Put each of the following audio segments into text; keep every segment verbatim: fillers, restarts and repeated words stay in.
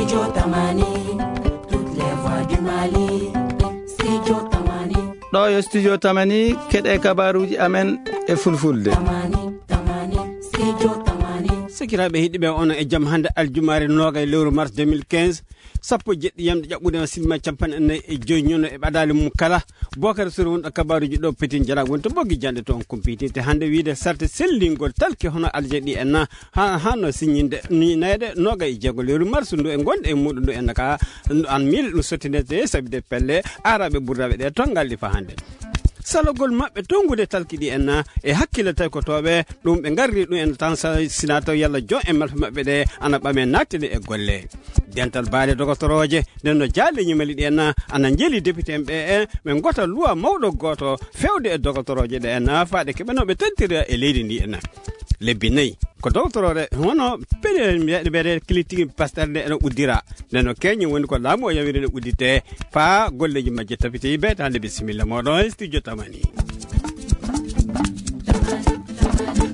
Studio Tamani, toutes les voix du Mali. Studio Tamani. Ɗo yo Studio Tamani, keɗe kabaruuji amen e fulfulde. Tamani, Tamani, Studio Tamani. Sikiraaɓe heɗiɓe, on e jam hannde aljumaare noogay lewru mars deux mille quinze, sappo e jeɗɗi yamde ƴaɓɓude o sinima capanɗe nayi e joyi ñono e ɓadaali mum kala. Bokar Sori wonɗo kabaruuji ɗo petin jara woni to boggi jande to on kumpiti. Te hannde wiide sarte sellingol talki hono aljeɗi en na ha, hano siññinde ni nayde noga e jeego lewru mars ndu e gonɗe e muɗum ndu en ka an mil ɗum sottinete sabide pelle araɓe ɓurdaɓe ɗe tongal ɗi fa hannde. Salogol maɓɓe tongude talki ɗi en na e hakkille taykotooɓe ɗum ɓe ngarri ɗum en tan sa-, sina taw yalla jon e malfa maɓɓe ɗe ana ɓame nattini e golle. Dental baale dogotorooje nden no jaale ñimali ɗi en na ana njeli député en ɓe en ɓe gota luwa mawɗo gooto fewde e dogotorooje ɗe en na faade keɓe no ɓe tantira e leydi ndi en na. Lebbi nayi ko dogotorooɗe hono pele mbiyaaɗe mbiyaaɗe kilitigi pastere nde ene uddira. Nden no keñi woni ko laamu o yawiri ene uddite faa golleeji majje tabiti. Beytaande bisimilla mooɗon e studio Tamani.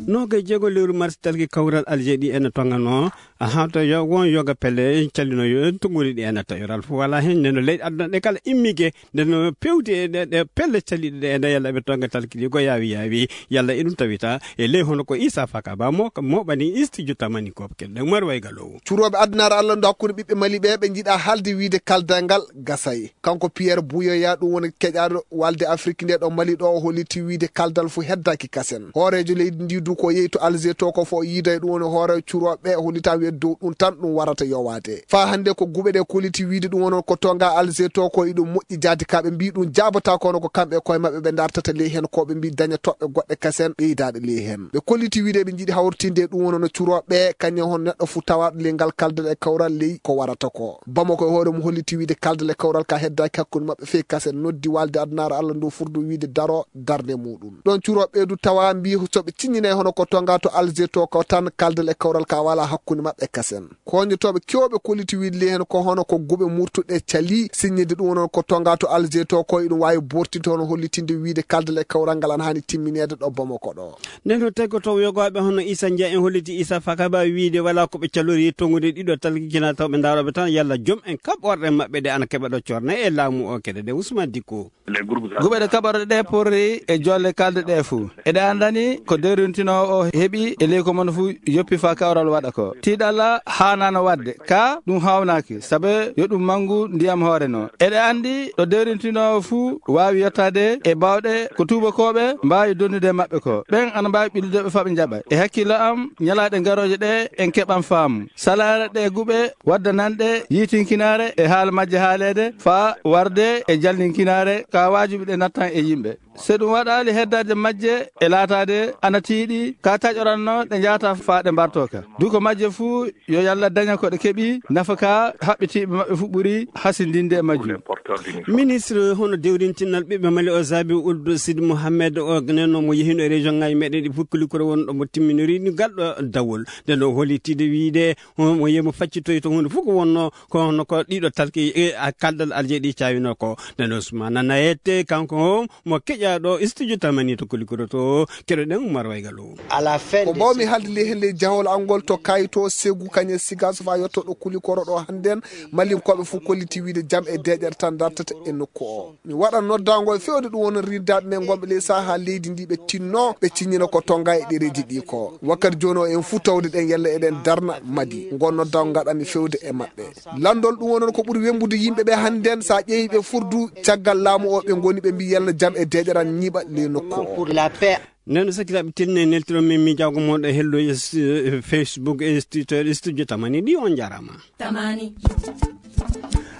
Noga e jeego lewru mars talki kawral aljeɗi ene tongano. Aha, to yo won yoga pelle callino yo tongori ɗi ene tayoral fof wala hen. Nden no leyɗe aduna ɗe kala immige nden no pewti e ɗe, ɗe pelle calliɗe ɗe ene yalla ɓe tonga talki ɗi ko yaawi yaawi. Yalla e ɗum tawita e ley hono ko Issa Faka Ba mo, mo ɓani studio Tamani ko keɗɗe Umar Wayga Lowo. Curoɓe addunaare Allah ndo hakkunde ɓiɓɓe Mali ɓe, ɓe njiɗa haalde wiide kaldal ngal gasay. Kanko Pierre Buyoya, ɗum woni keƴaaɗo walde Afrique nde ɗo Mali ɗo, o holliti wiide kaldal fu heddaki kasen. Hooreejo leydi ndi du ko yehi to Alger to ko fo o yiida e ɗum woni hooreejo curoɓe ɓe, o hollita wiide dow ɗum tan ɗum warata yowaade. Faa hannde ko guɓe ɗe kolliti wiide ɗum woni ko tonga Alger to ko iɗum moƴƴi jaadi ka ɓe mbi ɗum jaabata kono ko kamɓe koye maɓɓe ɓe dartata ley hen ko ɓe mbi daña toɓɓe goɗɗe kasen ɓeydaaɗe ley hen. Ɓe kolliti wiide ɓe njiɗi hawritinde e ɗum woni no curoɓe ɓe kañum hon neɗɗo fu tawaaɗo ley ngal kaldal e kawral ley ko warata ko. Bamako e hoore mum holliti wiide kaldal e kawral ka heddaaki hakkunde maɓɓe fey kasen noddi walde addunaare Allah ndu furdu wiide daro darnde muɗum. Ɗon curoɓe ɓe du tawa mbi so ɓe ciññinay hono ko tonga to Alger to ko tan kaldal e kawral ka wala hakkunde maɓɓe kasen. Koñotooɓe kewɓe kolliti wiide ley hen ko hono ko guɓe murtuɗe cali siññinde ɗum woni ko tonga to Alger to ko iɗum waawi bortinde hono hollitinde wiide kaldal e kawral ngal ana hani timmineede ɗo Bamako ɗo. Nden to tawi ko taw yogaaɓe hono Issa Ndiaye en holliti Issa Fakaba wiide wala ko ɓe calori tongude ɗiɗo talkijina taw ɓe ndaroɓe tan yalla joom en kaɓɓorɗe maɓɓe ɗe ana keɓa ɗo corna e laamu o keɗe ɗe Ousmane Dicko. Guɓe ɗe kaɓorɗe ɗe porri e jolle kalde ɗe fuu. Eɗe anndani ko dewrintinoowo o heɓi e ley ko mon fuu yoppi faa kawral waɗa ko. Tiiɗalla haanaano waɗde, kaa ɗum haawnaaki, sabe yo ɗum manngu ndiyam hoore no. Eɗe anndi ɗo dewrintinoowo fuu waawi yottaade e baawɗe ko tuubakooɓe mbaawi donnude e maɓɓe ko. Ɓen ana mbaawi ɓillude ɓe faa ɓe njaɓa. E hakkillo am, ñalaaɗe garooje ɗe en keɓan faamu. Salaare ɗe guɓe waddananɗe yiitinkinaare e haala majje haaleede faa warde e jalninkinaare ka waajibi ɗe nattan e yimɓe. So ɗum waɗaali heddaade majje e laataade ana tiiɗi ka taƴoranno ɗe njaata faa ɗe mbartooka. Duko majje fuu yo Yalla daña ko ɗe keɓi nafa ka haɓɓitiiɓe maɓɓe fuu ɓuri hasindinde e majjum. Ministre hono dewrintinal ɓiɓɓe Mali o Zabi Ould Sidi Mohamed o nenno mo yehino e région ngaji meɗen ɗi fof kulikoro wonɗo mo timminori ni galɗo dawol. Nden o holitide wiide mo yemo faccitoy to hunde fof ko wonno ko hono ko ɗiɗo talki e a kaldal alje ɗi cawino ko. Nden Ousmane Nayete kanko mo keƴaɗo studio Tamani to kulikoro to keɗoɗen Umar Waygal o. Ko mbawmi haalde ley heen ley jahol angol to kayto segu kañe siga so fa yotto ɗo kulikoro ɗo hannden malinkoɓe fof kolliti wiide jam e deƴere tan dartata e nokku o. Mi waɗa noddaango e fewde ɗum woni rinndaaɓe men ngonɓe ley saha leydi ndi ɓe tinno ɓe ciññina ko tonga e ɗereeji ɗi ko. Wakkati jooni o en fuu tawde ɗen yalla eɗen darna madi. Ngon noddaango ngaɗanmi fewde e maɓɓe. Lanndol ɗum woni ko ɓuri wembude yimɓe ɓe hannden sa ƴeewi ɓe furdu caggal laamu o ɓe ngoni ɓe mbi yalla jam e deƴeran ñiiɓa ley nokku o. Nden no sakkitaaɓe tinne neltiron min miijaago mon ɗo hello e stu-, e Facebook e studio, e studio Tamani ɗi on njaaraama. Tamani.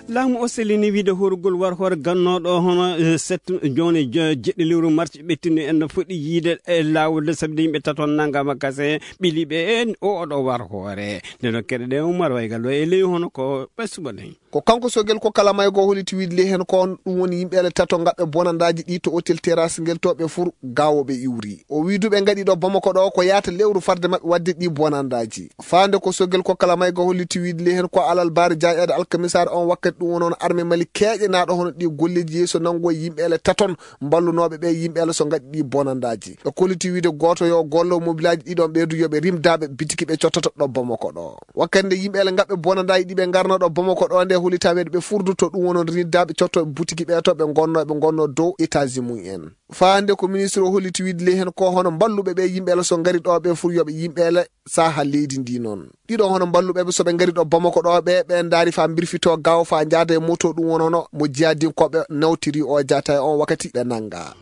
Laamu o sellini wiide horugol war hoore gannooɗo hono, eh, set jooni jo-, jeɗɗi lewru mars ɓettinɗo en no foti yiide e laawol de sabde yimɓe tato nanngama kase ɓili ɓe en o oɗo war hoore. Nde no keɗe ɗe Umar Waygal ɗo e ley hono ko ɓe suɓa nden. Ko kanko Sogel ko kala maygo holiti wiide ley heen ko on ɗum woni yimɓe ele tato ngaɓɓe bonandaaji ɗi to otel terrasse ngel to ɓe fur gawo ɓe iwri. O wi duɓe ngaɗi ɗo Bamako ɗo ko yaata lewru farde maɓɓe waɗde ɗi bonandaaji. Faande ko Sogel ko kala maygo holiti wiide ley heen ko alal baari jaaƴaade alkamisaare on wakkati Ɗum woni on arme Mali keeƴenaaɗo hono ɗi golleeji yeeso nanngo yimɓe ele taton mballunooɓe ɓe yimɓe ele so ngaɗi ɗi bonandaaji. Ɓe kolliti wiide gooto yo gollo mobilaaji ɗiɗon ɓeydu yo ɓe rimdaaɓe bitiki ɓe cottata ɗo Bamako ɗo. Wakkati nde yimɓe ele ngaɓɓe bonandaaji ɗi ɓe ngarno ɗo Bamako ɗo nde holitameede ɓe furdu to ɗum wonon rimdaaɓe cotto bitiki ɓe to ɓe ngonno ɓe ngonno dow étage mum en. Faa hannde ko ministre o holliti wiide ley heen ko hono mballuɓe ɓe yimɓe ele so ngari ɗo ɓe fur yo ɓe yimɓe ele saaha leydi ndi noon. Ɗiɗo hono mballuɓe ɓe so ɓe ngari ɗo Bamako ɗo ɓe, ɓe ndaari faa mbirfito gaaw faa njaada e moto ɗum wonono mo jihadinkooɓe nawtiri o jaata e on wakkati ɓe nannga.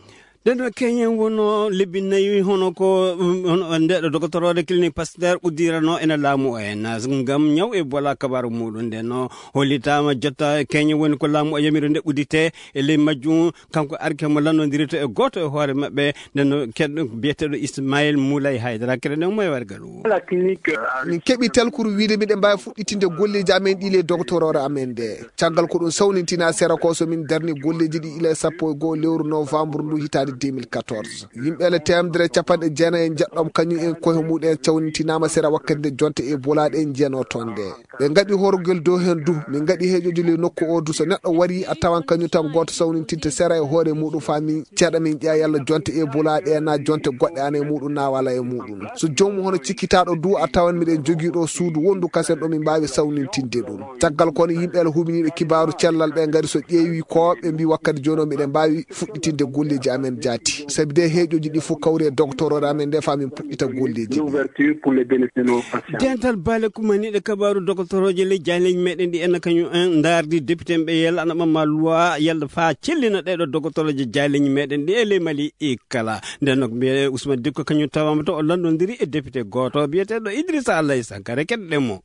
Nden ɗo keñen wono lebbi nayi hono ko, um, hono nde ɗo dogotoroore clinique Pasteur uddirano ena laamu o en ngam ñaw e bola kabaru muɗum. Nden no hollitaama jotta keñen woni ko laamu o yamiro nde uddite e ley majjum. Kanko arke mo lanndondirta e gooto e hoore maɓɓe, nden no keɗɗo biyeteeɗo Ismail Moulay Haydara, keɗoɗen mo e wargal o. Min keɓi talkuru wiide miɗen mbaawi fuɗɗitinde golleeji amen ɗi le dogotoroore amen nde. Caggal ko ɗum sawnintina sera ko so min darni golleeji ɗi ila sappo e goo lewru novembre ndu hitaande deux mille quatorze. Yimɓe ele teemedere capanɗe jeenayi e njeɗɗom kañum en koye muɗum en cawnintinaama sera wakkati nde jonte e bolaaɗe en njiyano toon nde. Ɓe ngaɗi horgel dow heen du, min ngaɗi heeƴoji ley nokku o du. So neɗɗo wari a tawan kañum tan gooto sawnintinte sera e hoore muɗum faa min ceeɗa min ƴeewa yalla jonte e bolaaɗe en na jonte goɗɗe ana e muɗum na wala e muɗum. So joomum hono cikkitaaɗo du a tawan miɗen jogii ɗo suudu wondu kasen ɗo min mbaawi sawnintinde ɗum. Caggal kono yimɓe ele huɓiniiɓe kibaaru cellal ɓe ngari so ƴeewi ko ɓe mbi wakkati jooni o miɗen mbaawi fuɗɗitinde golleeji amen jaati. Sabi de heeƴoji ɗi fof kawri e dogotoroore amen nde faa min puɗɗita golleeji ɗi. Dental baale kumaniiɗe kabaaru dogotoroje ley jayleeji meɗen ɗi enna kañum en ndaardi député ɓe yalla ana ɓamma loi yalla faa cellina ɗeɗo dogotoroje jayleeji meɗen ɗi e ley Mali e kala. Nden nok mbiye Ousmane Dikko kañum tawama to o lanndondiri e député gooto biyeteeɗo Idrissa Alaye Sankare keɗoɗen mo.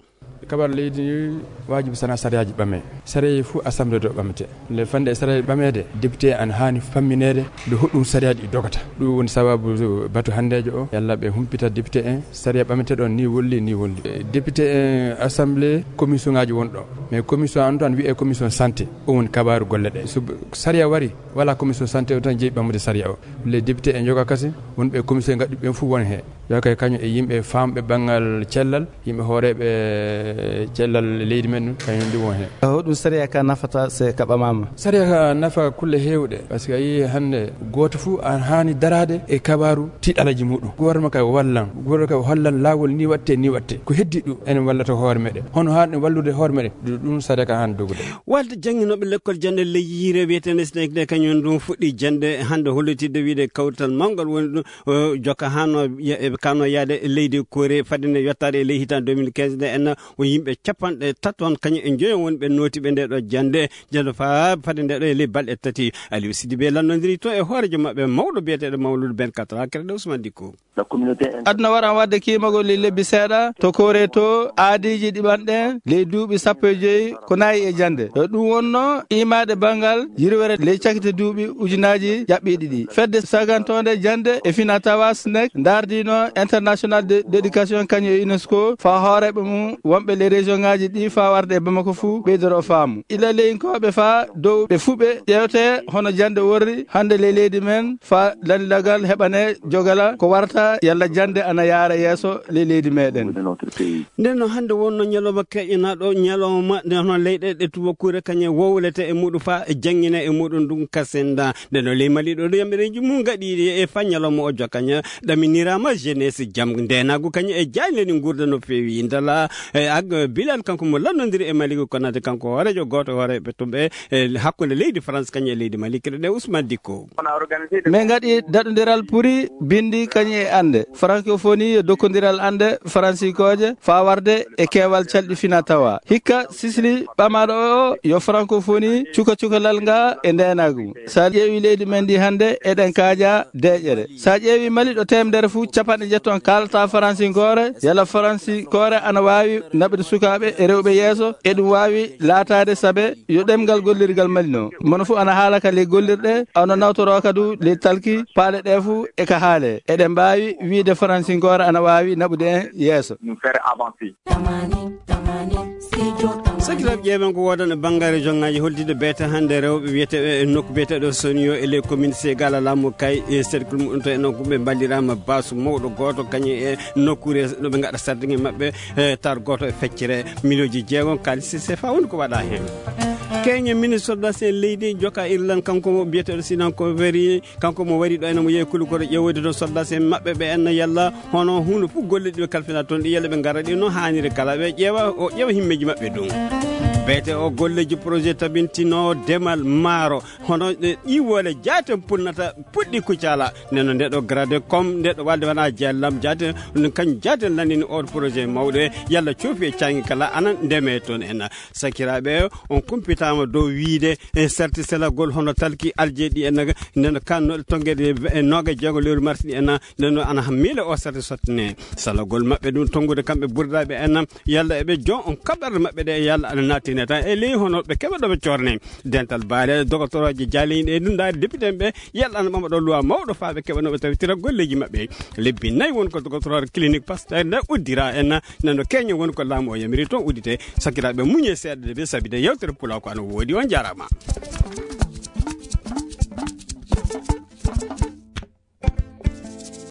Kabar leydi ni waajibi sana sariyaaji ɓame. Sariyaaji fof assemblée ɗo ɓamete. Nde fande e sariyaaji ɓameede, député ana haani fammineede nde hoɗum sariyaaji ɗi dogata. Ɗum woni sababu batu hanndeejo o, yalla ɓe humpita député en, sariya ɓamete ɗon ni wolli, ni wolli. E, député en assemblée, commission ngaaji won ɗo. Mais commission an tan wiyee commission santé, o woni kabaaru golle ɗe. So sariya wari, wala commission santé o tan jeyi ɓamde sariya o. Les députés en joga kasi, wonɓe commission ngaɗi ɓen fof won he. Yo kay kañum e yimɓe famɓe banngal cellal, yimɓe hooreeɓe cellal leydi men ɗum, kañum ɗum won heen. Hoɗum sariya ka nafata se ka ɓamaama? Sariya ka nafa kulle heewɗe, par ce que a yii hannde gooto fof an haani daraade e kabaaru tiiɗalaji muɗum. Gouvernement kay wallan, gouvernement kay hollan laawol ni watte, ni watte. Ko heddi ɗum, enen wallata hoore meɗen. Hono haani ɗum wallude hoore meɗen, ɗum, ɗum sariya ka haani dogude. Walde jannginooɓe lekkol jannde ley yiire wiyeteende SNEC nde kañum ɗum fuɗɗi jannde hannde hollitidde wiide kawrital mawngal woni ɗum. O jokka haa no ya-, e kano yaade e leydi Kore fadde nde yottaade e ley hitan deux mille quinze nde en o yimɓe capanɗe taton kañum e njoyo woni ɓe nooti ɓe nde ɗo jannde, jannde faa fadde nde ɗo e ley balɗe tati. Aliou Sidibé lanndondiri to e hoorejo maɓɓe mawɗo biyeteeɗo Mawludu Ben Katra, keɗoɗen Ousmane Dikko. Aduna waran wadde kiimagol e lebbi seeɗa to Kore to aadiiji ɗiɓanɗe ley duuɓi sappo e joyi ko nayi e jannde. E ɗum wonno imaade banngal yirwere ley cakite duuɓi ujunaaji ƴaɓɓiiɗi ɗi. Fedde sagantoonde jannde e fina tawa SNEC ndaardino International de, d'éducation kañum e UNESCO faa hooreeɓe mum wonɓe ley région ngaaji ɗi faa warde e Bamako fuu ɓeydoro faamu. Ila leyinkooɓe faa dow ɓe fuu ɓe ƴeewte hono jannde worri hannde ley leydi men faa lanndilaagal heɓane jogala ko warata yalla jannde ana yaara yeeso ley leydi meɗen. Nden no hannde wonno ñalawma keƴanaaɗo, ñalawma nde hono leyɗe ɗe tubakuure kañe wowlete e muɗum faa e janngine e muɗum ɗum kasinda. Nden no ley Mali ɗo ɗo yamɓereeji mum gaɗi e faa ñalawma o jokkaña ɗaminiraama jeunesse jam ndeenaagu kañe e jaañle ɗi nguurda no feewi. Ndala e ag Bilal kanko mo lanndondiri e Malick Konaté kanko hooreejo gooto hooreeɓe tumɓe e hakkunde leydi France kañum e leydi Mali, keɗoɗen Ousmane Dikko. Min ngaɗi daɗondiral puri binndi kañum e annde. Francophonie yo dokkondiral annde faransinkooje faa warde e keewal calɗi fina tawa. Hikka sisli ɓamaaɗo o yo francophonie cuka cukalal nga e ndeenaagu. So a ƴeewi leydi men ndi hannde eɗen kaaja deeƴere. So a ƴeewi Mali ɗo teemedere fuu capanɗe jeetati kaalata faransinkoore, yalla faransinkoore ana waawi naɓude sukaaɓe e rewɓe yeeso, eɗum waawi laataade saabe yo ɗemngal gollirgal Mali no. Mono fuu ana haala ka ley gollirɗe, ana nawtoroo ka du ley talki, paale ɗe fuu e ka haale. Eɗen mbaawi wiyde faransinkoore ana waawi naɓude en yeeso. Sakiraaɓe ƴeewen ko woodan e banngaare jonngaji holtide beete hannde rewɓe wiyeteeɓe e nokku biyeteeɗo Sonio e ley commune Segal laamu kay e cercle muɗum to e noon ko ɓe mballiraama baasu mawɗo gooto kañum e nokkuure no ɓe ngaɗa sardiŋe maɓɓe e tar gooto e feccere miliyonji jeegom kaalis sefa woni ko waɗa heen. Keñe ministre soldats en leydi joka Irlande, kanko mo biyeteeɗo Sinan ko wari, kanko mo wari ɗo ene mo yehi Kulukoro ƴeewoyde ɗo soldats en maɓɓe ɓe en yalla hono hunde fof golle ɗiɓe kalfina toon ɗi yalla ɓe ngara ɗi no haaniri kala ɓe ƴeewa o ƴeewa himmeeji maɓɓe ɗum. Beete o golleji projet tabintino demal maaro hono ɗe ƴiwole jaaten punnata puɗɗi kucala neno ndeɗo grade comme ndeɗo walde wona jallam jaaten. Ɗum kañ jaaten lanini o projet mawɗo e yalla coofi e caŋi kala ana ndeme toon en. Sakiraaɓe, on kumpitaama dow wiyde e sarti selagol hono talki aljeeɗi en, nden kannooɗe tonngeede e nooga jeego lewru mars ɗi en, nden ana miile o sarti sottane. Salagol maɓɓe ɗum tonngude kamɓe burdaaɓe en, yalla eɓe jon on kaɓɓerɗe maɓɓe ɗe, yalla ana nattine tan e ley hono ɓe keɓa ɗo ɓe corne. Dental baale dogotoroje jaaliiɗe e ɗum ndaari député en ɓe, yalla ana ɓama ɗo loi mawɗo faa ɓe keɓa no ɓe tawitira golleeji maɓɓe. Lebbi nayi won ko dogotoroore clinique Pasteur nde uddira en, nano keño won ko laamu o yamiri toon uddite. Sakiraaɓe, muñe seeɗa de ɓe sabi de yewtere pulaar ko ana woodi. On jaaraama.